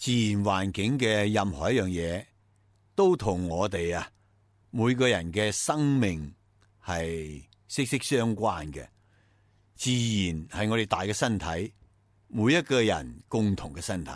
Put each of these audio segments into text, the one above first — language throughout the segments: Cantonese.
自然環境嘅任何一樣嘢，都同我哋每個人嘅生命係息息相關嘅。自然係我哋大嘅身體，每一個人共同嘅身體。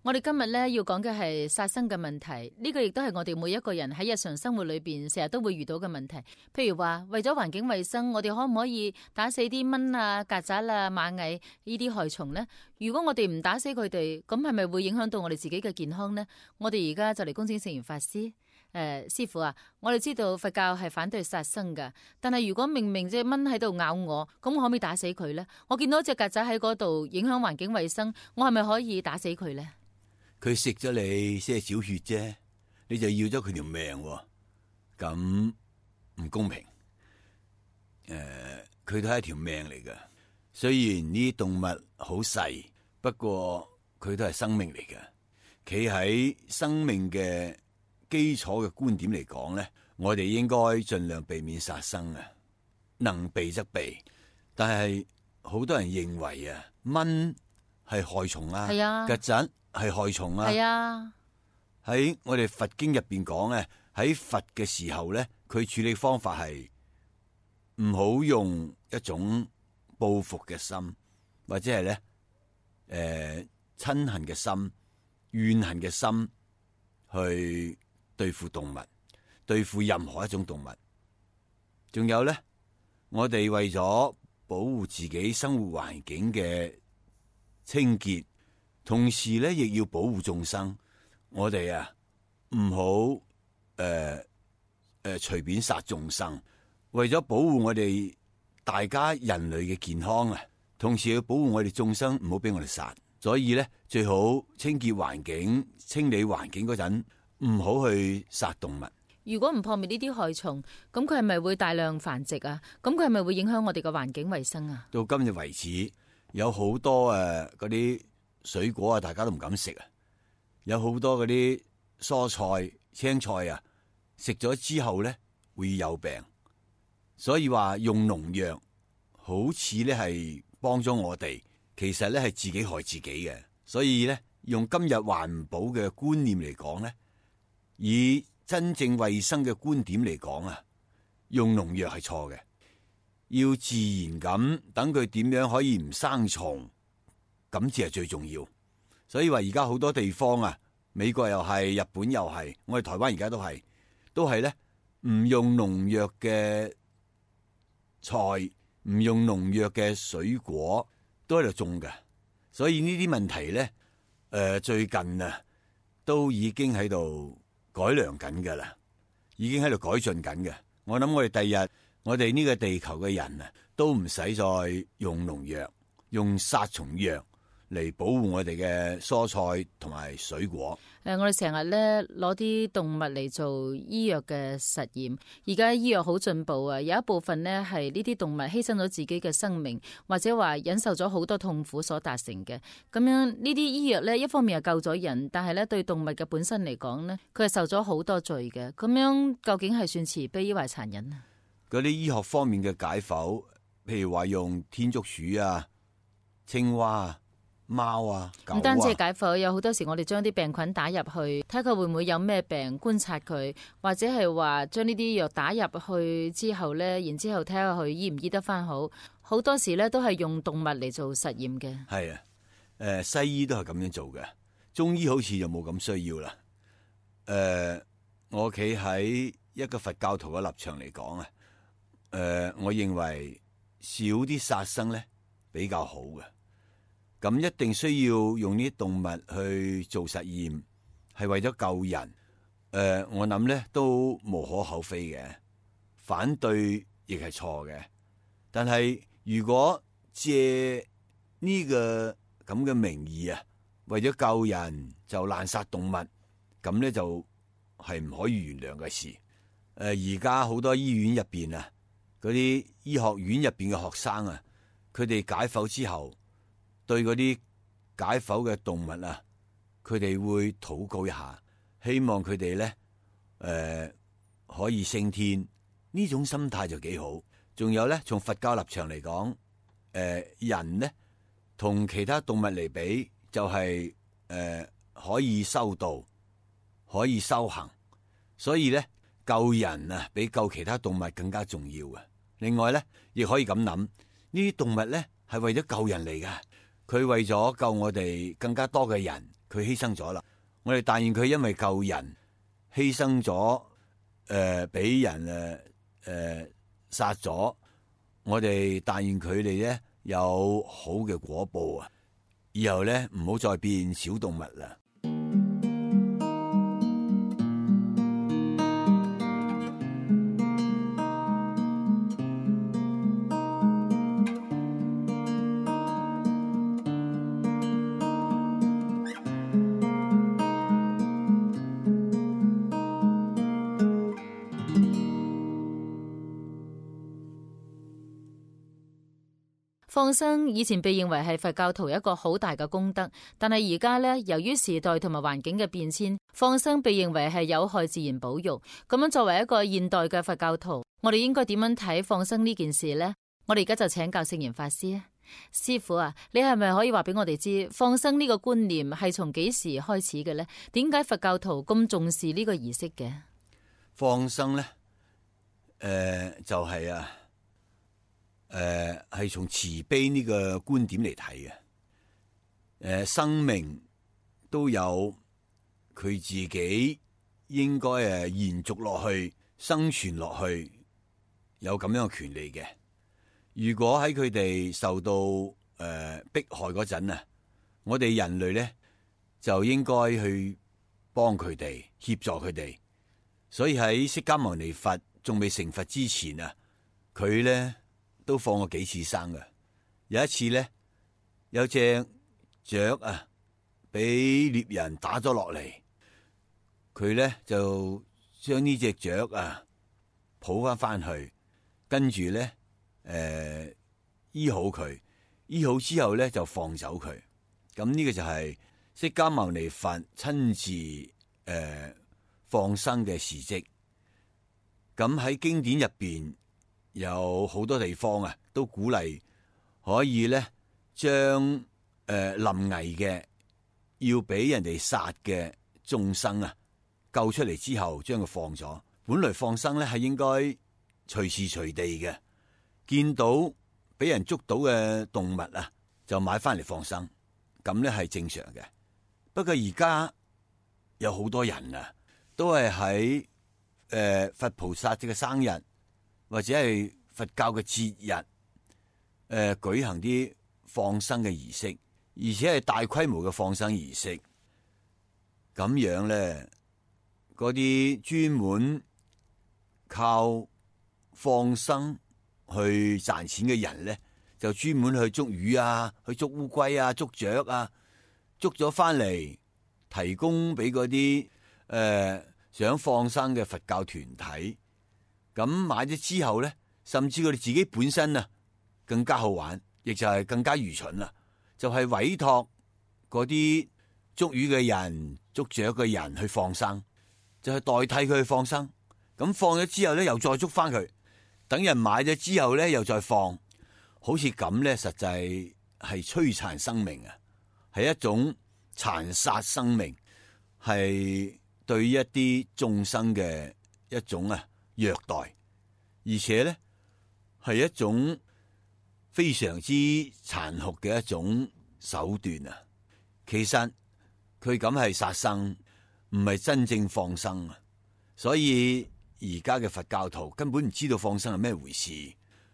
我哋今日咧要講嘅係殺生嘅問題，呢個亦都係我哋每一個人喺日常生活裏邊成日都會遇到嘅問題。譬如話為咗環境衛生，我哋可唔可以打死啲蚊啊、曱甴啊、螞蟻呢啲害蟲呢？如果我哋唔打死佢哋，咁係咪會影響到我哋自己嘅健康呢？我哋而家就嚟恭請聖嚴法師。師父啊，我哋知道佛教係反對殺生噶，但係如果明明隻蚊喺度咬我，咁我可唔可以打死佢呢？我見到隻曱甴喺嗰度影響環境衛生，我係咪可以打死佢呢？佢食咗你些少血啫，你就要咗佢條命，咁唔公平。佢都係一條命嚟噶。雖然呢啲動物好細，不過佢都係生命嚟噶。企喺生命嘅基礎嘅觀點嚟講咧，我哋應該盡量避免殺生啊，能避則避。但係好多人認為蚊係害蟲啊，曱甴係害蟲啊。係啊，喺我哋佛經入邊講咧，喺佛嘅時候咧，佢處理方法係唔好用一種報復嘅心，或者係咧親恨嘅心、怨恨嘅心去對付動物，對付任何一種動物。仲有咧，我哋為咗保護自己生活環境嘅清潔，同時咧亦要保護眾生。我哋唔好隨便殺眾生，為咗保護我哋大家人類嘅健康啊，同時要保護我哋眾生，唔好俾我哋殺。所以咧，最好清潔環境、清理環境嗰陣，唔好去殺動物。如果唔破滅呢啲害蟲，咁佢係咪會大量繁殖啊？咁佢係咪會影響我哋嘅環境衛生啊？到今日為止，有好多嗰啲水果大家都唔敢食啊！有好多嗰啲蔬菜、青菜食咗之後咧會有病。所以話用農藥好似咧係幫咗我哋，其實咧係自己害自己嘅。所以咧，用今日環保嘅觀念嚟講咧，以真正衛生嘅觀點嚟講用農藥係錯嘅。要自然咁等佢點樣可以唔生蟲，咁至係最重要。所以話而家好多地方美國又係，日本又係，我哋台灣而家都係咧唔用農藥嘅菜，唔用農藥嘅水果都喺度種嘅。所以呢啲問題咧，最近都已經喺度改良緊噶啦，已經喺度改進緊嘅。我諗我哋第日，我哋呢個地球嘅人都唔使再用農藥、用殺蟲藥嚟保護我哋嘅蔬菜同埋水果。我哋成日咧攞啲動物嚟做醫藥嘅實驗，而家醫藥好進步啊！有一部分呢係呢啲動物犧牲咗自己嘅生命，或者話忍受咗好多痛苦所達成嘅。咁樣呢啲醫藥呢，一方面係救咗人，但係咧對動物嘅本身嚟講呢，佢係受咗好多罪嘅。咁樣究竟係算慈悲抑或殘忍啊？嗰啲醫學方面嘅解剖，譬如話用天竺鼠青蛙貓狗唔單止係解剖，有好多時我哋將啲病菌打入去，睇佢會唔會有咩病，觀察佢，或者係話將呢啲藥打入去之後呢，然之後睇下佢醫唔醫得翻好。好多時呢都係用動物嚟做實驗嘅。係西醫都係咁樣做嘅，中醫好似就冇咁需要啦。我企喺一個佛教徒嘅立場嚟講我認為少啲殺生咧比較好嘅。咁一定需要用呢啲動物去做實驗，係為咗救人。我諗咧都無可厚非嘅，反對亦係錯嘅。但係如果借呢個咁嘅名義為咗救人就濫殺動物，咁咧就係唔可以原諒嘅事。而家好多醫院入邊啊，嗰啲醫學院入邊嘅學生啊，佢哋解剖之後，對嗰啲解剖嘅動物啊，佢哋會禱告一下，希望佢哋咧可以升天。呢種心態就幾好。仲有咧，從佛教立場嚟講，人咧同其他動物嚟比，就係可以修道，可以修行，所以咧救人啊，比救其他動物更加重要嘅。另外咧，亦可以咁諗，呢啲動物咧係為咗救人嚟噶，佢為咗救我哋更加多嘅人，佢犧牲咗啦。我哋但願佢因為救人犧牲咗，俾人殺咗，我哋但願佢哋咧有好嘅果報啊！以後咧唔好再變小動物啦。放生以前被認為係佛教徒一個好大嘅功德，但係而家呢，由於時代同埋環境嘅變遷，放生被認為係有害自然保育。咁樣作為一個現代嘅佛教徒，我哋應該點樣睇放生呢件事呢？我哋而家就請教聖嚴法師啊，師父啊，你係咪可以話俾我哋知放生呢個觀念係從幾時開始嘅呢？點解佛教徒咁重視呢個儀式嘅？放生呢，就係係從慈悲呢個觀點嚟睇嘅。生命都有佢自己應該延續落去、生存落去，有咁樣嘅權利嘅。如果喺佢哋受到迫害嗰陣啊，我哋人類咧就應該去幫佢哋、協助佢哋。所以喺釋迦牟尼佛仲未成佛之前啊，佢咧都放過幾次生嘅。有一次咧，有隻雀啊，俾獵人打咗落嚟，佢咧就將呢隻雀啊抱翻去，跟住咧醫好佢，醫好之後咧就放走佢。咁呢個就係釋迦牟尼佛親自放生嘅事蹟。咁喺經典入邊有好多地方啊，都鼓勵可以咧將臨危嘅要俾人哋殺嘅眾生啊救出嚟之後，將佢放咗。本來放生咧係應該隨時隨地嘅，見到俾人捉到嘅動物啊，就買翻嚟放生，咁咧係正常嘅。不過而家有好多人啊，都係喺佛菩薩嘅生日或者係佛教嘅節日，舉行啲放生嘅儀式，而且係大規模嘅放生儀式。咁樣咧，嗰啲專門靠放生去賺錢嘅人咧，就專門去捉魚啊，去捉烏龜啊，捉雀啊，捉咗翻嚟提供俾嗰啲想放生嘅佛教團體。咁買咗之後咧，甚至佢哋自己本身啊更加好玩，亦就係更加愚蠢啦。就係委託嗰啲捉魚嘅人、捉雀嘅人去放生，就係代替佢去放生。咁放咗之後咧，又再捉翻佢，等人買咗之後咧，又再放，好似咁咧，實際係摧殘生命啊，係一種殘殺生命，係對一啲眾生嘅一種虐待，而且咧係一種非常之殘酷嘅一種手段啊！其實佢咁係殺生，唔係真正放生啊！所以而家嘅佛教徒根本唔知道放生係咩回事，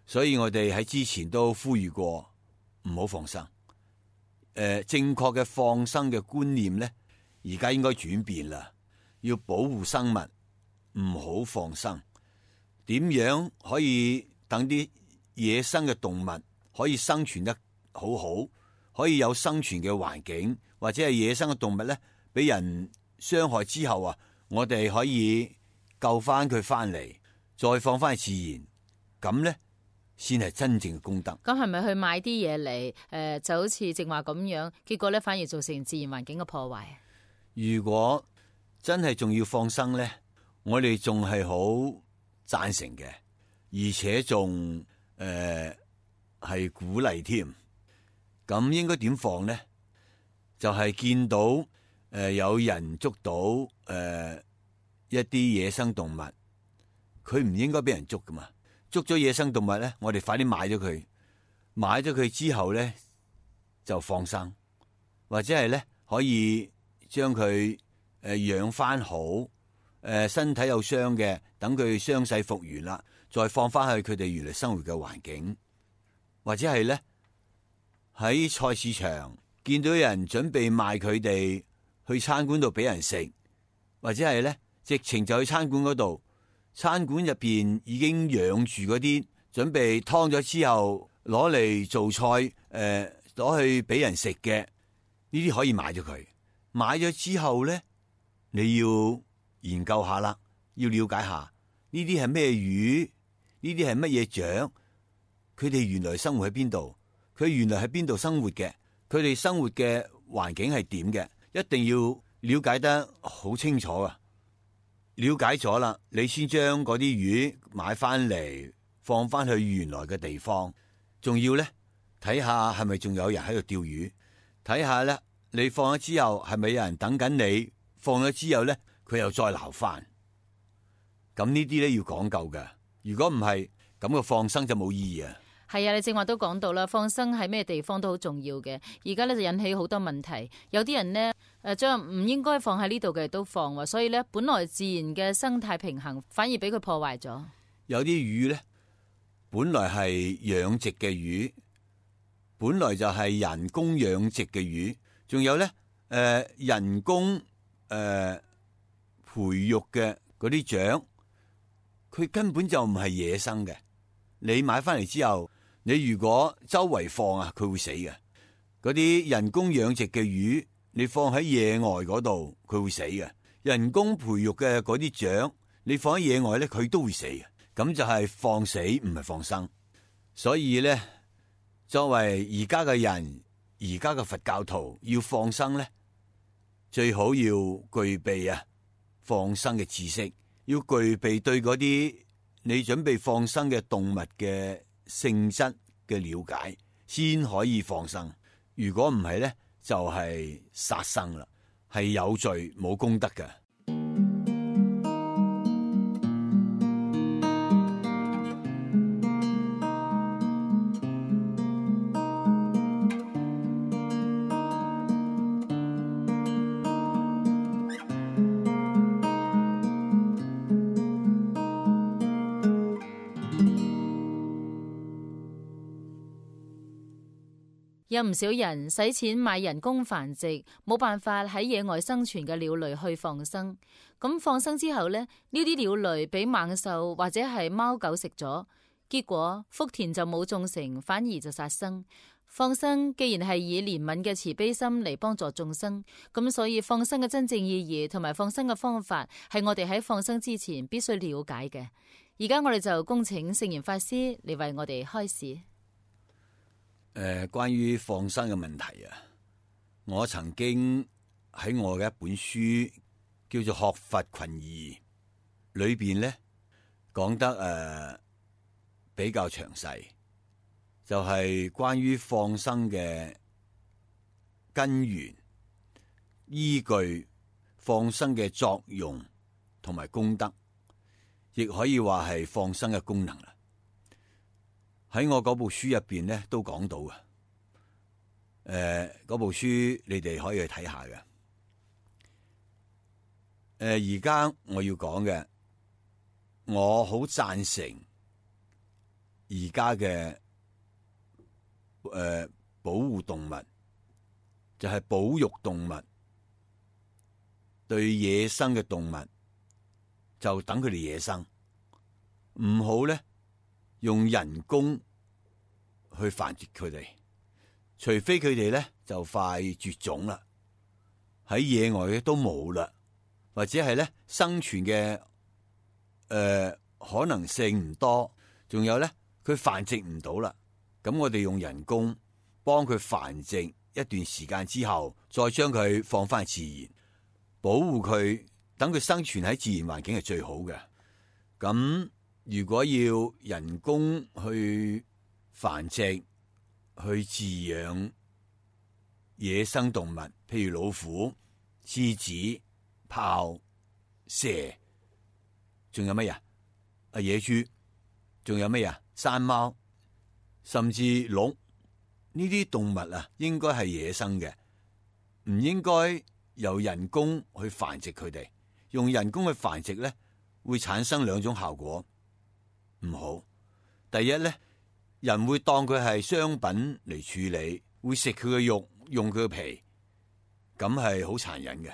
所以我哋喺之前都呼籲過唔好放生。正確嘅放生嘅觀念咧，而家應該轉變啦，要保護生物，唔好放生。點樣可以等啲野生嘅動物可以生存得好好，可以有生存嘅環境，或者係野生嘅動物咧俾人傷害之後啊，我哋可以救翻佢翻嚟，再放翻去自然，咁呢先係真正嘅功德。咁係咪去買啲嘢嚟？就好似正話咁樣，結果咧反而造成自然環境嘅破壞。如果真係仲要放生呢，我哋仲係好贊成嘅，而且仲係鼓勵添。咁應該點放呢？就係見到有人捉到一啲野生動物，佢唔應該俾人捉噶嘛。捉咗野生動物咧，我哋快啲買咗佢，買咗佢之後咧就放生，或者係咧可以將佢養翻好，身體有傷嘅，等佢傷勢復原啦，再放翻去佢哋原來生活嘅環境，或者係咧喺菜市場見到有人準備賣佢哋去餐館度俾人食，或者係咧直情就去餐館嗰度。餐館入邊已經養住嗰啲，準備劏咗之後攞嚟做菜，攞去俾人食嘅，呢啲可以買咗佢。買咗之後咧，你要研究下啦，要了解下呢啲係咩魚，呢啲係乜嘢雀，佢哋原來生活喺邊度，佢原來喺邊度生活嘅，佢哋生活嘅環境係點嘅，一定要了解得好清楚啊！了解咗啦，你先將嗰啲魚買翻嚟，放翻去原來嘅地方。仲要咧睇下係咪仲有人喺度釣魚，睇下咧你放咗之後係咪有人等緊你，放咗之後咧佢又再撈翻。咁呢啲咧要講究嘅，如果唔係咁個放生就冇意義啊。係啊，你正話都講到啦，放生喺咩地方都好重要嘅。而家咧就引起好多問題，有啲人呢，將唔應該放喺呢度嘅都放，所以咧本來自然嘅生態平衡反而俾佢破壞咗。有啲魚咧本來係養殖嘅魚，本來就係人工養殖嘅魚，仲有咧人工培育嘅嗰啲雀，佢根本就唔係野生嘅。你買翻嚟之後，你如果周圍放啊，佢會死嘅。嗰啲人工養殖嘅魚，你放喺野外嗰度，佢會死嘅。人工培育嘅嗰啲雀，你放喺野外咧，佢都會死嘅。咁就係放死，唔係放生。所以咧，作為而家嘅人，而家嘅佛教徒要放生咧，最好要具備放生嘅知識，要具備對嗰啲你準備放生嘅動物嘅性質嘅了解，先可以放生。如果唔係咧，就係殺生啦，係有罪冇功德嘅。有唔少人使錢買人工繁殖，冇辦法喺野外生存嘅鳥類去放生。咁放生之後呢，呢啲鳥類俾猛獸或者係貓狗食咗，結果福田就冇種成，反而就殺生。放生既然係以憐憫嘅慈悲心嚟幫助眾生，咁所以放生嘅真正意義同埋放生嘅方法係我哋喺放生之前必須了解嘅。而家我哋就恭請聖嚴法師嚟為我哋開示。關於放生嘅問題啊，我曾經喺我嘅一本書叫做《學佛群疑》裏邊咧講得比較詳細，就係關於放生嘅根源、依據、放生嘅作用同埋功德，亦可以話係放生嘅功能啦。喺我嗰部書入邊咧都講到嘅，嗰部書你哋可以去睇下嘅。而家我要講嘅，我好贊成而家嘅保護動物，就係保育動物，對野生嘅動物就等佢哋野生，唔好咧用人工去繁殖佢哋，除非佢哋咧就快絕種啦，喺野外都冇啦，或者係咧生存嘅可能性唔多，仲有咧佢繁殖唔到啦。咁我哋用人工幫佢繁殖一段時間之後，再將佢放翻自然，保護佢，等佢生存喺自然環境係最好嘅。咁如果要人工去繁殖、去飼養野生動物，譬如老虎、獅子、豹、蛇，仲有乜嘢？野豬，仲有乜嘢？山貓，甚至鹿，呢啲動物啊，應該係野生嘅，唔應該由人工去繁殖佢哋。用人工去繁殖咧，會產生兩種效果，唔好。第一咧，人會當佢係商品嚟處理，會食佢嘅肉，用佢嘅皮，咁係好殘忍嘅。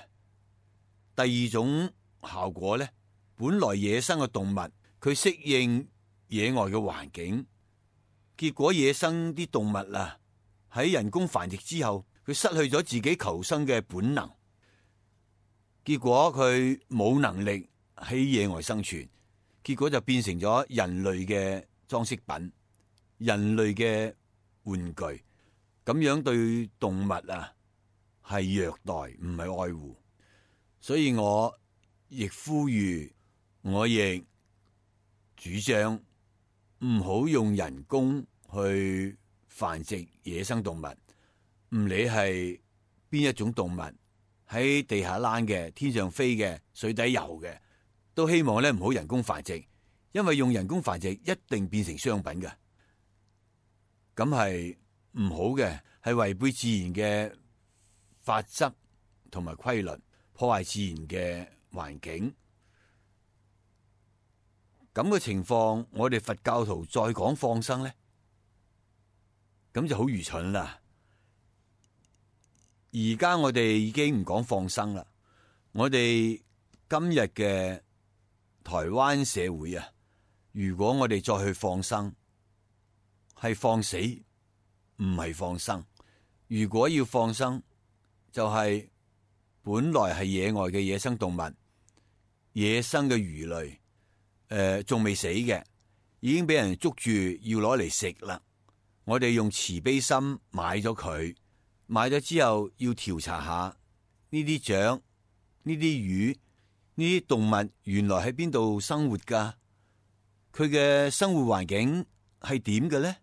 第二種效果咧，本來野生嘅動物，佢適應野外嘅環境，結果野生啲動物啊，喺人工繁殖之後，佢失去咗自己求生嘅本能，結果佢冇能力喺野外生存，結果就變成咗人類嘅裝飾品、人類嘅玩具，咁樣對動物啊係虐待，唔係愛護。所以我亦呼籲，我亦主張唔好用人工去繁殖野生動物，唔理係邊一種動物，喺地下躝嘅、天上飛嘅、水底游嘅，都希望咧唔好人工繁殖，因為用人工繁殖一定變成商品嘅，咁係唔好嘅，係違背自然嘅法則同埋規律，破壞自然嘅環境。咁嘅情況，我哋佛教徒再講放生咧，咁就好愚蠢啦。而家我哋已經唔講放生啦，我哋今日嘅台灣社會啊，如果我哋再去放生，係放死，唔係放生。如果要放生，就係本來係野外嘅野生動物，野生嘅魚類，仲未死嘅，已經俾人捉住要攞嚟食啦。我哋用慈悲心買咗佢，買咗之後要調查下呢啲雀、呢啲魚、呢啲動物原來喺邊度生活噶，佢嘅生活環境係點嘅咧？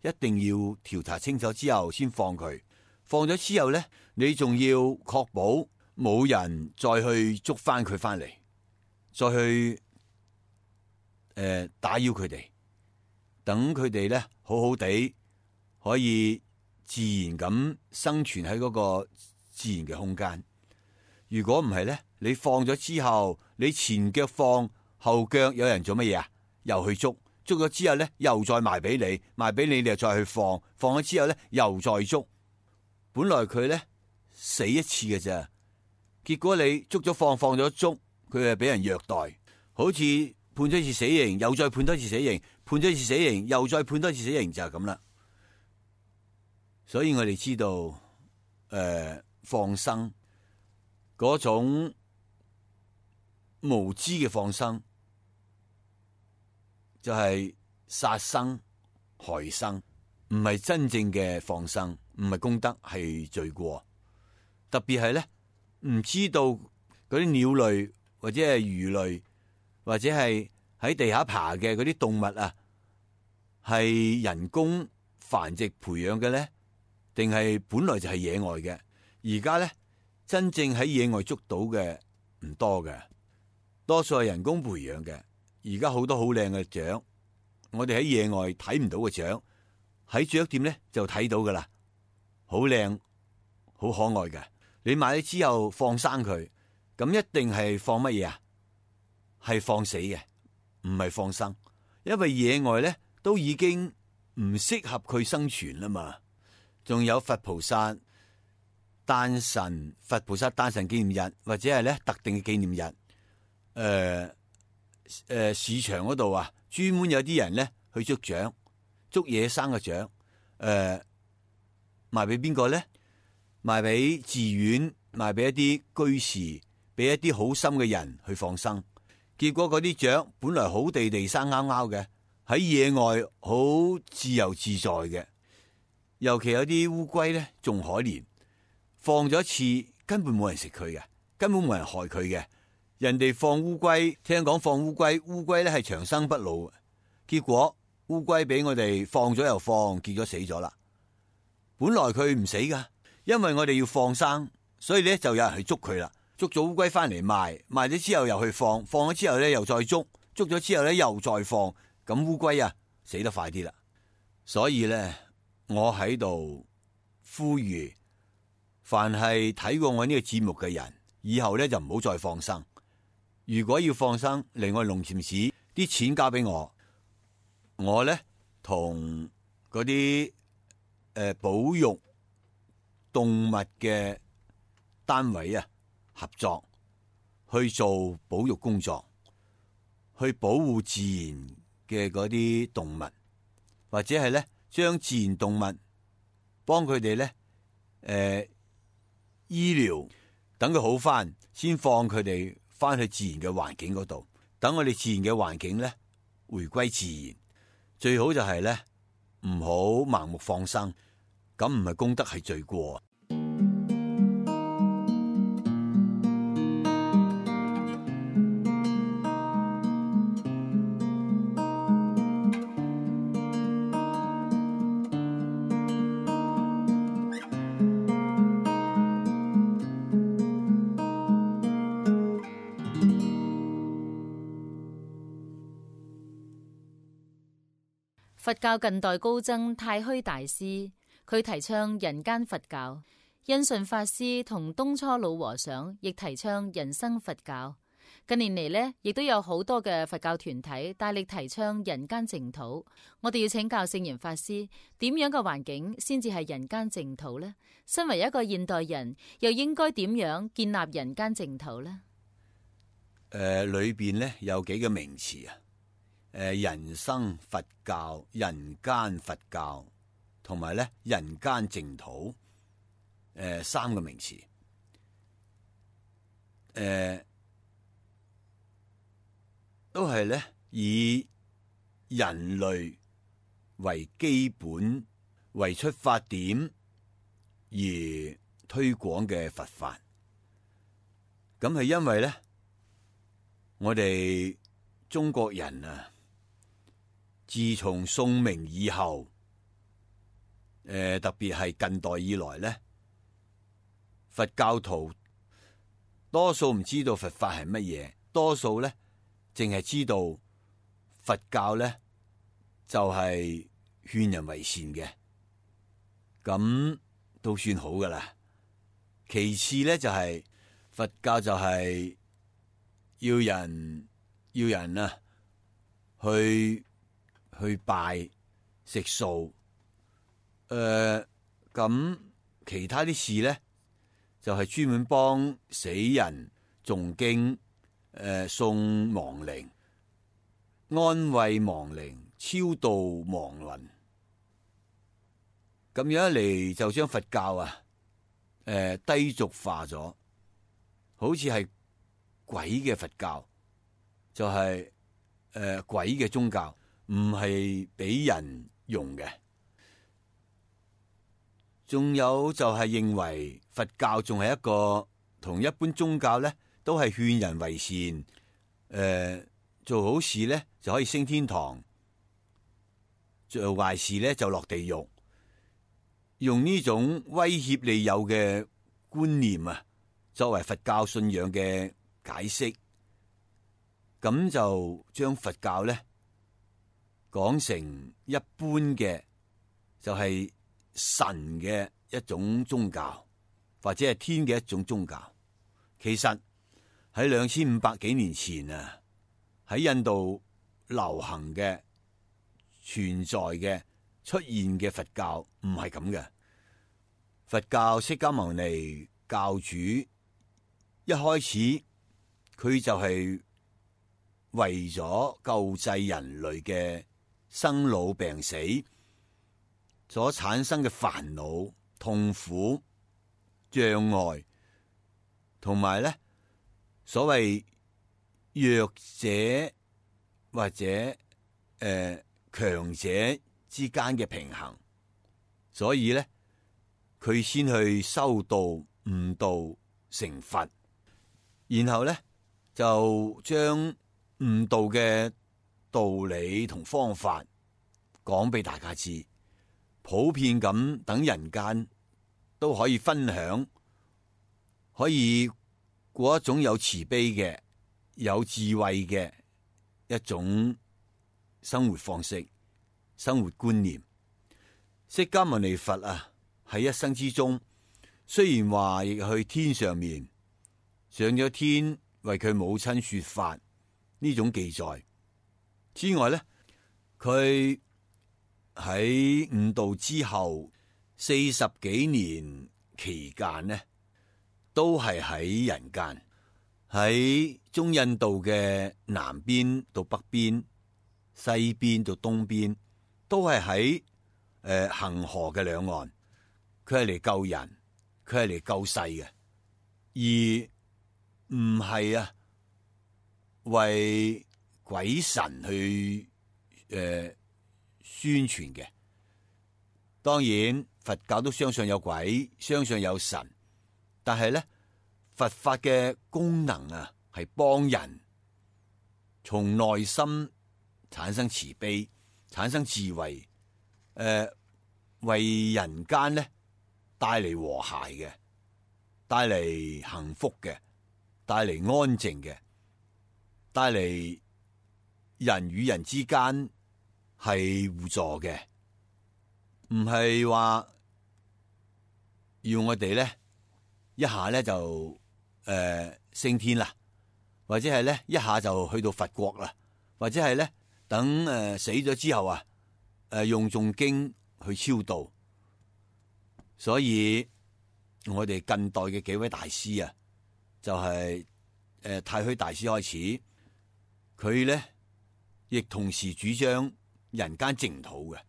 一定要調查清楚之後先放佢。放咗之後咧，你仲要確保冇人再去捉翻佢翻嚟，再去打擾佢哋，等佢哋咧好好地可以自然咁生存喺嗰個自然嘅空間。如果唔係咧，你放咗之後，你前腳放，後腳有人做乜嘢啊？又去捉，捉咗之後咧，又再賣俾你，賣俾你，你又再去放，放咗之後咧，又再捉。本來佢咧死一次嘅咋，結果你捉咗放，放咗捉，佢係俾人虐待，好似判咗一次死刑，又再判多一次死刑，判咗一次死刑，又再判多一次死刑，就係咁啦。所以我哋知道，放生嗰種無知嘅放生，就係殺生害生，唔係真正嘅放生，唔係功德，係罪過。特別係咧，唔知道嗰啲鳥類或者係魚類或者係喺地下爬嘅嗰啲動物啊，係人工繁殖培養嘅咧，定係本來就係野外嘅？而家咧真正喺野外捉到嘅唔多嘅，多數係人工培養嘅。而家好多好靚嘅雀，我哋喺野外睇唔到嘅雀，喺雀店咧就睇到噶啦，好靚好可愛嘅。你買咗之後放生佢，咁一定係放乜嘢啊？係放死嘅，唔係放生。因為野外咧都已經唔適合佢生存啦嘛。仲有佛菩薩誕辰紀念日，或者係咧特定嘅紀念日，市場嗰度啊，專門有啲人咧去捉雀，捉野生嘅雀，賣俾邊個咧？賣俾寺院，賣俾一啲居士，俾一啲好心嘅人去放生。結果嗰啲雀本來好地地生勾勾嘅，喺野外好自由自在嘅。尤其有啲烏龜咧，仲可憐，放咗一次根本冇人食佢嘅，根本冇人害佢嘅。人哋放烏龜，聽講放烏龜，烏龜咧係長生不老，結果烏龜俾我哋放咗又放，結果死咗啦。本來佢唔死噶，因為我哋要放生，所以咧就有人去捉佢啦。捉咗烏龜翻嚟賣，賣咗之後又去放，放咗之後咧又再捉，捉咗之後咧又再放，咁烏龜啊死得快啲啦。所以咧，我喺度呼籲，凡係睇過我呢個節目嘅人，以後咧就唔好再放生。如果要放生嚟我龍潛市，啲錢交俾我，我咧同嗰啲保育動物嘅單位啊合作去做保育工作，去保護自然嘅嗰啲動物，或者係咧將自然動物幫佢哋咧醫療，等佢好翻，先放佢哋翻去自然嘅環境嗰度，等我哋自然嘅環境咧回歸自然。最好就係咧唔好盲目放生，咁唔係功德係罪過。佛教近代高僧太虛大師，佢提倡人間佛教；印順法師同東初老和尚亦提倡人生佛教。近年嚟呢，亦都有好多嘅佛教團體大力提倡人間淨土。我哋要請教聖嚴法師，點樣嘅環境先至係人間淨土呢？身為一個現代人，又應該點樣建立人間淨土呢？裏邊呢有幾個名詞啊。人生佛教、人間佛教同埋咧人間淨土，三個名詞，都係咧以人類為基本、為出發點而推廣嘅佛法。咁係因為咧，我哋中國人啊，自從宋明以後，特別係近代以來咧，佛教徒多數唔知道佛法係乜嘢，多數咧淨係知道佛教咧就係勸人為善嘅，咁都算好噶啦。其次咧就係佛教就係要人啊去拜食素，咁其他啲事咧就係專門幫死人誦經，送亡靈，安慰亡靈，超度亡魂。咁樣一嚟就將佛教啊低俗化咗，好似係鬼嘅佛教，就係鬼嘅宗教，唔係俾人用嘅。仲有就係認為佛教仲係一個同一般宗教咧，都係勸人為善，做好事咧就可以升天堂，做壞事咧就落地獄。用呢種威脅利誘嘅觀念啊，作為佛教信仰嘅解釋，咁就將佛教咧講成一般嘅，就係神嘅一種宗教，或者係天嘅一種宗教。其實喺2500幾年前啊，喺印度流行嘅、存在嘅、出現嘅佛教唔係咁嘅。佛教釋迦牟尼教主一開始佢就係為咗救濟人類嘅生老病死所產生嘅煩惱、痛苦、障礙，同埋咧所謂弱者或者強者之間嘅平衡，所以咧佢先去修道、悟道、成佛，然後咧就將悟道嘅道理同方法講俾大家知，普遍咁等人間都可以分享，可以過一種有慈悲嘅、有智慧嘅一種生活方式、生活觀念。釋迦牟尼佛啊，喺一生之中，雖然話亦去天上面上咗天為佢母親說法呢種記載之外咧，佢喺悟道之後40幾年期間呢，都係喺人間，喺中印度嘅南邊到北邊、西邊到東邊，都係喺恒河嘅兩岸。佢係嚟救人，佢係嚟救世嘅，而唔係啊為鬼神去宣傳嘅。當然佛教都相信有鬼，相信有神，但係咧佛法嘅功能啊係幫人從內心產生慈悲，產生智慧，為人間咧帶嚟和諧嘅，帶嚟幸福嘅，帶嚟安靜嘅，帶嚟人與人之間係互助嘅，唔係話要我哋咧一下咧就升天啦，或者係咧一下就去到佛國啦，或者係咧等死咗之後啊用誦經去超度。所以我哋近代嘅幾位大師啊，就係太虛大師開始，佢咧亦同時主張人間淨土嘅。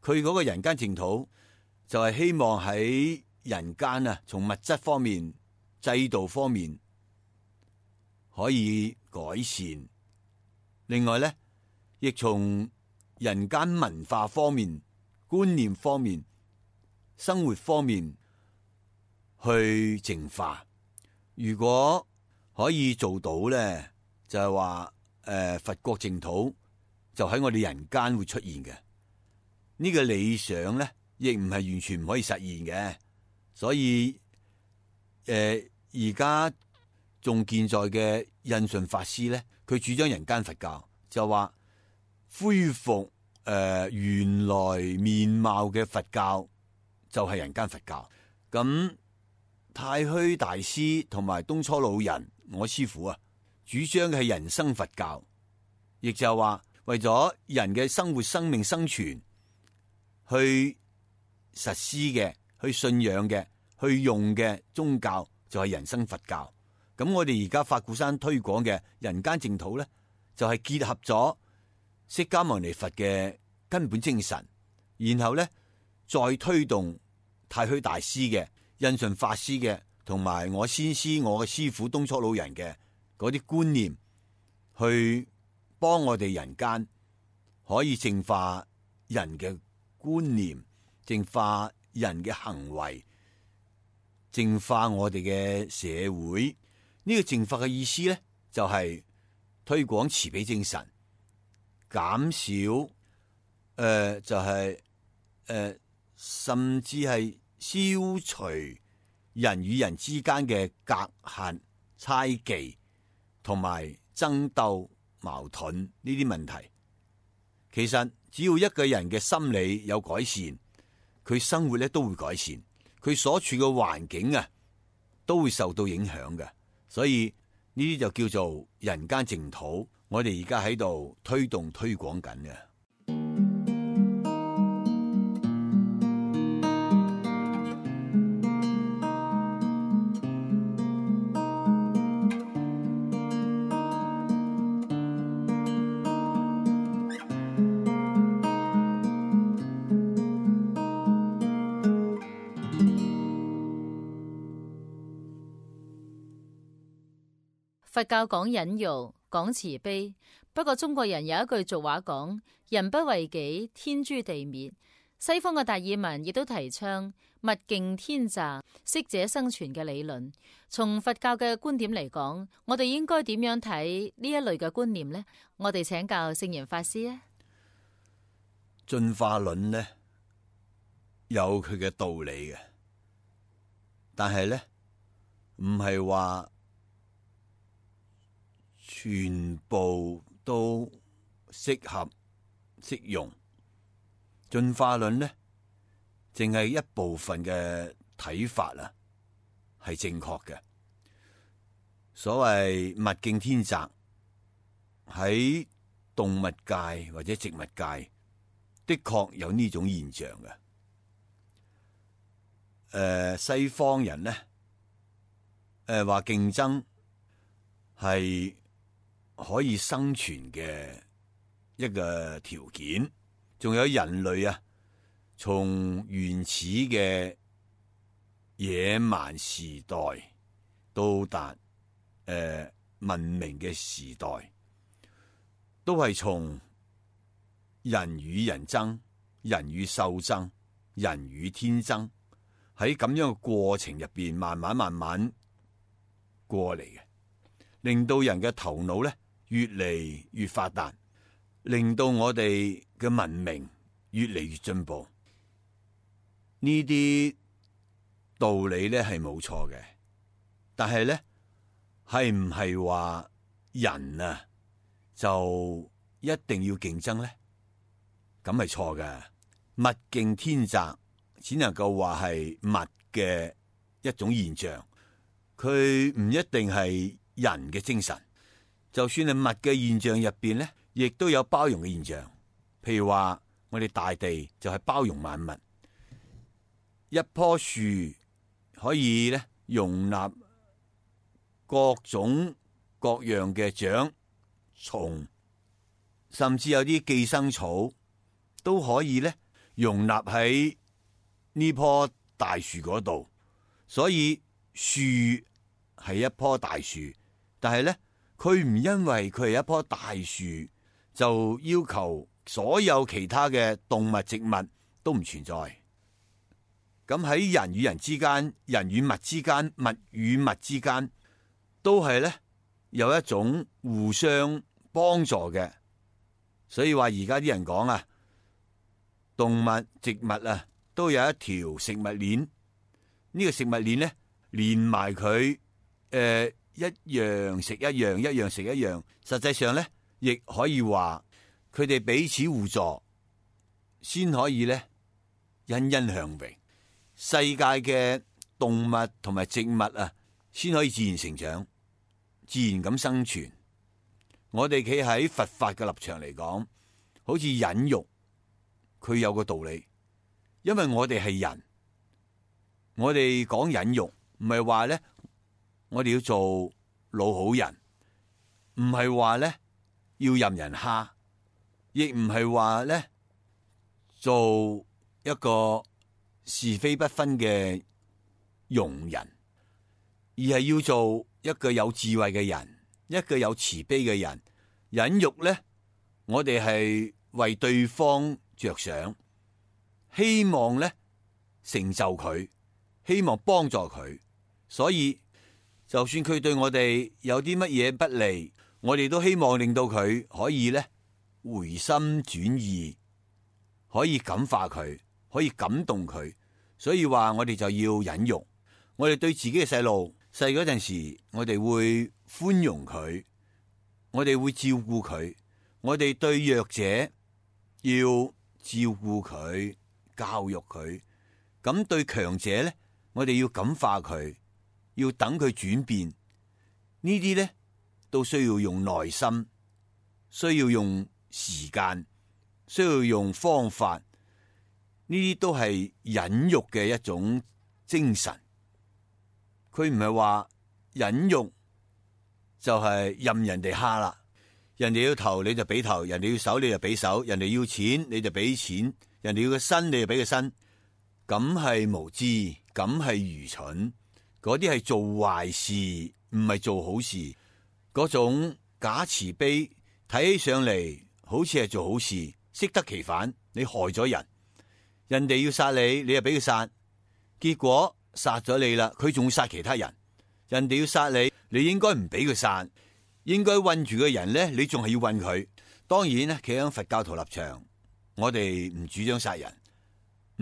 佢嗰個人間淨土就係希望喺人間啊，從物質方面、制度方面可以改善。另外咧，亦從人間文化方面、觀念方面、生活方面去淨化。如果可以做到咧，就係話佛國淨土就喺我哋人間會出現嘅。呢個理想咧，亦唔係完全唔可以實現嘅。所以而家仲健在嘅印順法師咧，佢主張人間佛教，就話恢復原來面貌嘅佛教就係人間佛教。咁太虛大師同埋東初老人我師父啊，主張嘅係人生佛教，亦就係話為咗人嘅生活、生命、生存去實施嘅、去信仰嘅、去用嘅宗教就係人生佛教。咁我哋而家法鼓山推廣嘅人間淨土咧，就係結合咗釋迦牟尼佛嘅根本精神，然後咧再推動太虛大師嘅、印順法師嘅，同埋我先師我嘅師父東初老人嘅嗰啲觀念，去幫我哋人間可以淨化人嘅觀念，淨化人嘅行為，淨化我哋嘅社會。呢個淨化嘅意思咧，就係推廣慈悲精神，減少就係甚至係消除人與人之間嘅隔閡、猜忌同埋爭鬥、矛盾呢啲問題。其實只要一個人嘅心理有改善，佢生活咧都會改善，佢所處嘅環境啊都會受到影響嘅。所以呢啲就叫做人間淨土，我哋而家喺度推動推廣緊嘅。佛教講忍辱，講慈悲。不過中國人有一句俗話講：人不為己，天誅地滅。西方嘅達爾文亦都提倡物競天擇、適者生存嘅理論。從佛教嘅觀點嚟講，我哋應該點樣睇呢一類嘅觀念呢？我哋請教聖嚴法師啊。進化論呢，有佢嘅道理嘅，但係呢，唔係話全部都適合適用。進化論呢，淨係一部分嘅睇法啊，係正確嘅。所謂物競天擇，喺動物界或者植物界，的確有呢種現象嘅。西方人呢，話競爭係可以生存嘅一個條件。仲有人類啊，從原始嘅野蠻時代到達文明嘅時代，都係從人與人爭、人與獸爭、人與天爭，喺咁樣嘅過程入邊，慢慢過嚟嘅，令到人嘅頭腦咧越嚟越發達，令到我哋嘅文明越嚟越進步。呢啲道理咧係冇錯嘅，但係咧係唔係話人啊就一定要競爭咧？咁係錯嘅。物競天擇只能夠話係物嘅一種現象，佢唔一定係人嘅精神。就算係物嘅現象入邊咧，亦都有包容嘅現象。譬如話我哋大地就係包容萬物，一棵樹可以咧容納各種各樣嘅長蟲，甚至有啲寄生草都可以咧容納喺呢棵大樹嗰度。所以樹係一棵大樹，但係咧佢唔因為佢係一棵大樹就要求所有其他嘅動物植物都唔存在。咁喺人與人之間、人與物之間、物與物之間，都係咧有一種互相幫助嘅。所以話而家啲人講啊，動物、植物啊都有一條食物鏈。呢個食物鏈咧連埋佢一樣食一樣，一樣食一樣。實際上咧，亦可以話佢哋彼此互助，先可以咧欣欣向榮。世界嘅動物同埋植物啊，先可以自然成長，自然咁生存。我哋企喺佛法嘅立場嚟講，好似忍辱，佢有個道理，因為我哋係人，我哋講忍辱，唔係話咧，我哋要做老好人，唔係話咧要任人蝦，亦唔係話咧做一個是非不分嘅庸人，而係要做一個有智慧嘅人，一個有慈悲嘅人。忍辱咧，我哋係為對方着想，希望咧成就佢，希望幫助佢。所以就算佢對我哋有啲乜嘢不利，我哋都希望令到佢可以咧回心轉意，可以感化佢，可以感動佢。所以話我哋就要忍辱。我哋對自己嘅細路細嗰陣時，我哋會寬容佢，我哋會照顧佢。我哋對弱者要照顧佢，教育佢。咁對強者咧，我哋要感化佢，要等佢轉變。呢啲咧都需要用耐心，需要用時間，需要用方法。呢啲都係忍辱嘅一種精神。佢唔係話忍辱就係任人哋蝦啦，人哋要頭你就俾頭，人哋要手你就俾手，人哋要錢你就俾錢，人哋要個身你就俾個身。咁係無知，咁係愚蠢。嗰啲係做壞事，唔係做好事。嗰種假慈悲，睇起上嚟好似係做好事，適得其反。你害咗人，人哋要殺你，你又俾佢殺，結果殺咗你啦，佢仲會殺其他人。人哋要殺你，你應該唔俾佢殺，應該韞住個人咧，你仲係要韞佢。當然咧，企喺佛教徒立場，我哋唔主張殺人，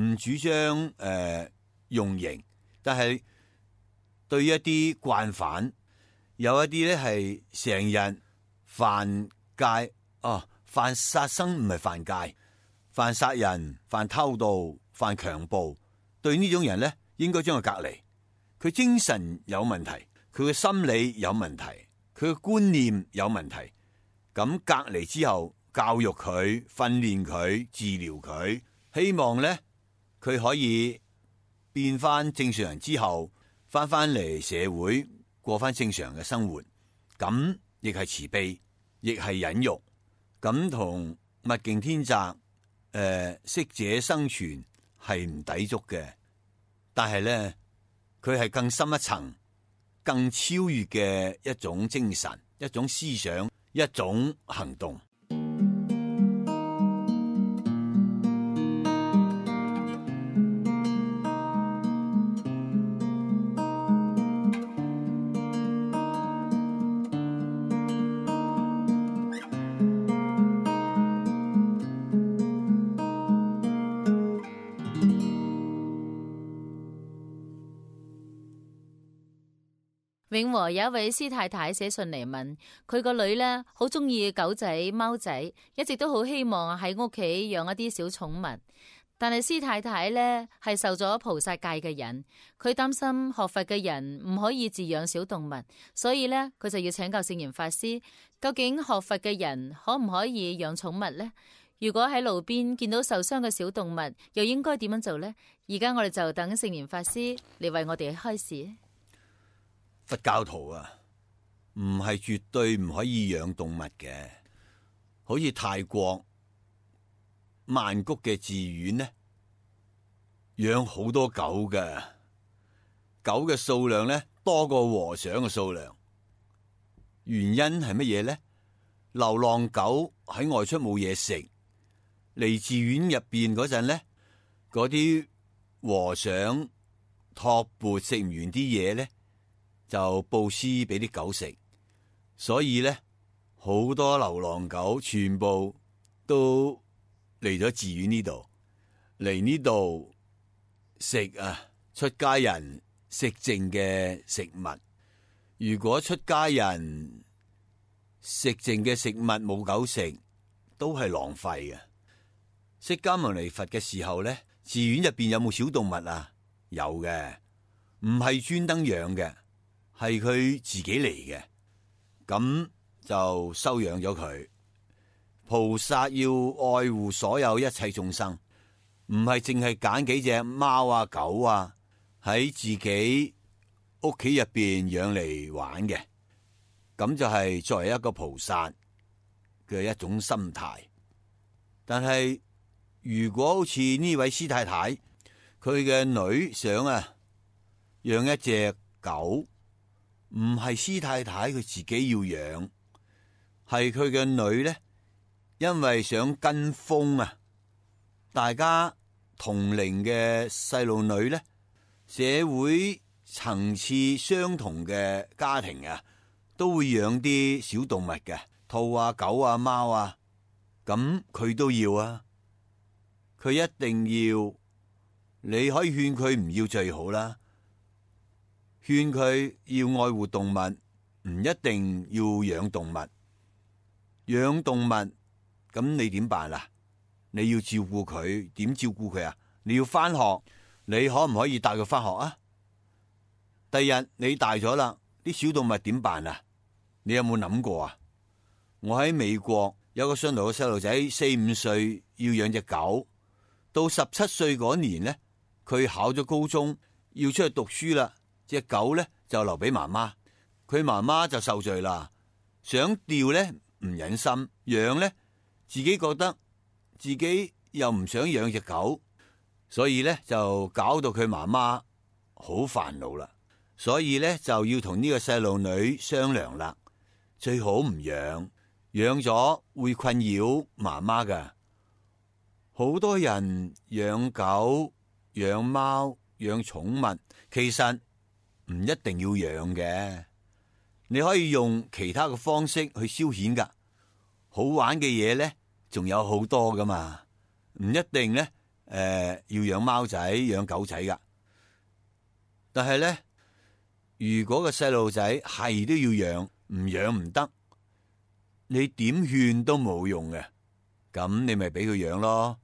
唔主張用刑，但係對一啲慣犯，有一啲咧係成日犯戒，犯殺生唔係犯戒，犯殺人、犯偷盜、犯強暴，對呢種人咧，應該將佢隔離。佢精神有問題，佢嘅心理有問題，佢嘅觀念有問題。咁隔離之後，教育佢、訓練佢、治療佢，希望咧佢可以變翻正常人之後，翻嚟社會過翻正常嘅生活。咁亦係慈悲，亦係忍辱。咁同物競天擇，適者生存係唔抵觸嘅。但係咧，佢係更深一層、更超越嘅一種精神、一種思想、一種行動。永和有一位師太太寫信嚟問，佢個女呢好中意狗仔、貓仔，一直都好希望喺屋企養一啲小寵物。但係師太太呢係受咗菩薩戒嘅人，佢擔心學佛嘅人唔可以飼養小動物，所以呢，佢就要請教聖嚴法師，究竟學佛嘅人可唔可以養寵物呢？如果喺路邊見到受傷嘅小動物，又應該點樣做呢？而家我哋就等聖嚴法師嚟為我哋開示。佛教徒啊，唔係絕對唔可以養動物嘅，好似泰國曼谷嘅寺院呢，養好多狗嘅，狗嘅數量呢多過和尚嘅數量。原因係乜嘢呢？流浪狗喺外出冇嘢食，嚟寺院入邊嗰陣呢，嗰啲和尚托缽食唔完啲嘢呢，就布施俾啲狗食，所以咧好多流浪狗全部都嚟咗寺院呢度，嚟呢度食出家人食剩嘅食物。如果出家人食剩嘅食物冇狗食，都係浪費嘅。釋迦牟尼佛嘅時候咧，寺院入邊有冇小動物啊？有嘅，唔係專登養嘅。係佢自己嚟嘅，咁就收養咗佢。菩薩要愛護所有一切眾生，唔係淨係揀幾隻貓啊狗啊喺自己屋企入邊養嚟玩嘅，咁就係作為一個菩薩嘅一種心態。但係如果好似呢位師太太，佢嘅女想養一隻狗，唔係師太太佢自己要養，係佢嘅女呢，因為想跟風大家同齡嘅細路女呢，社會層次相同嘅家庭都會養啲小動物嘅，兔啊、狗啊、貓啊，咁佢都要佢一定要。你可以勸佢唔要最好啦。勸佢要愛護動物，唔一定要養動物。養動物咁你點辦啊？你要照顧佢，點照顧佢啊？你要翻學，你可唔可以帶佢翻學啊？第日你大咗啦，啲小動物點辦啊？你有冇諗過啊？我喺美國有個信徒嘅細路仔，4、5歲要養隻狗，到17歲嗰年呢，佢考咗高中，要出去讀書啦。隻狗咧就留俾媽媽，佢媽媽就受罪啦。想掉咧唔忍心，養咧自己覺得自己又唔想養隻狗，所以咧就搞到佢媽媽好煩惱啦。所以咧就要同呢個細路女商量啦。最好唔養，養咗會困擾媽媽噶。好多人養狗、養貓、養寵物，其實唔一定要養嘅，你可以用其他嘅方式去消遣噶。好玩嘅嘢咧，仲有好多噶嘛，唔一定咧，要養貓仔、養狗仔噶。但係咧，如果個細路仔係都要養，唔養唔得，你點勸都冇用嘅。咁你咪俾佢養咯，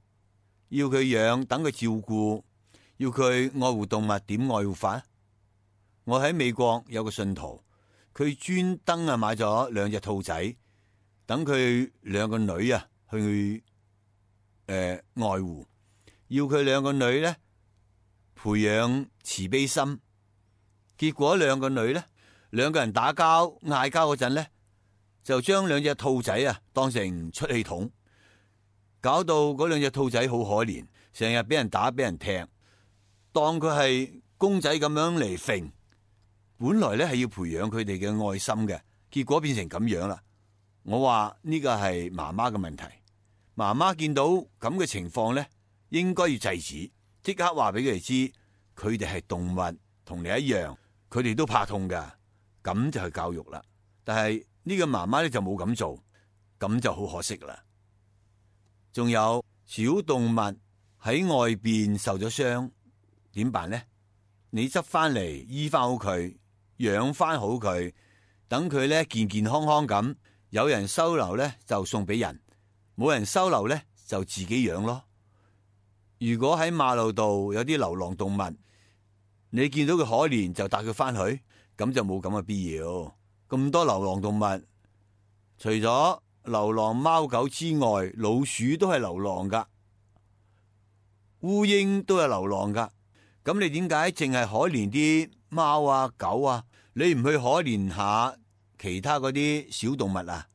要佢養，等佢照顧，要佢愛護動物，點愛護法？我喺美國有個信徒，佢專登買咗2隻兔仔，等佢2個女去愛護，要佢2個女咧培養慈悲心。結果2個女咧，2個人打交嗌交嗰陣咧，就將2隻兔仔當成出氣筒，搞到嗰2隻兔仔好可憐，成日俾人打俾人踢，當佢係公仔咁樣嚟揈。本來咧係要培養佢哋嘅愛心嘅，結果變成咁樣啦。我話呢個係媽媽嘅問題，媽媽見到咁嘅情況咧，應該要制止，即刻話俾佢哋知，佢哋係動物，同你一樣，佢哋都怕痛噶，咁就係教育啦。但係呢個媽媽咧就冇咁做，咁就好可惜啦。仲有小動物喺外邊受咗傷，點辦呢？你執翻嚟醫翻好佢，養翻好佢，等佢咧健健康康咁。有人收留咧就送俾人，冇人收留咧就自己養咯。如果喺馬路度有啲流浪動物，你見到佢可憐就帶佢翻去，咁就冇咁嘅必要。咁多流浪動物，除咗流浪貓狗之外，老鼠都係流浪噶，烏蠅都係流浪噶。咁你點解淨係可憐啲貓啊狗啊？你唔去可憐下其他嗰啲小動物啊？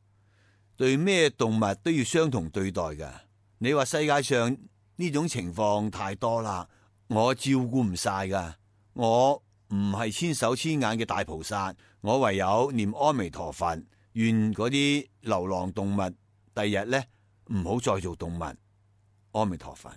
對咩動物都要相同對待噶。你話世界上呢種情況太多啦，我照顧唔晒噶。我唔係千手千眼嘅大菩薩，我唯有念阿彌陀佛，願嗰啲流浪動物第日咧唔好再做動物。阿彌陀佛。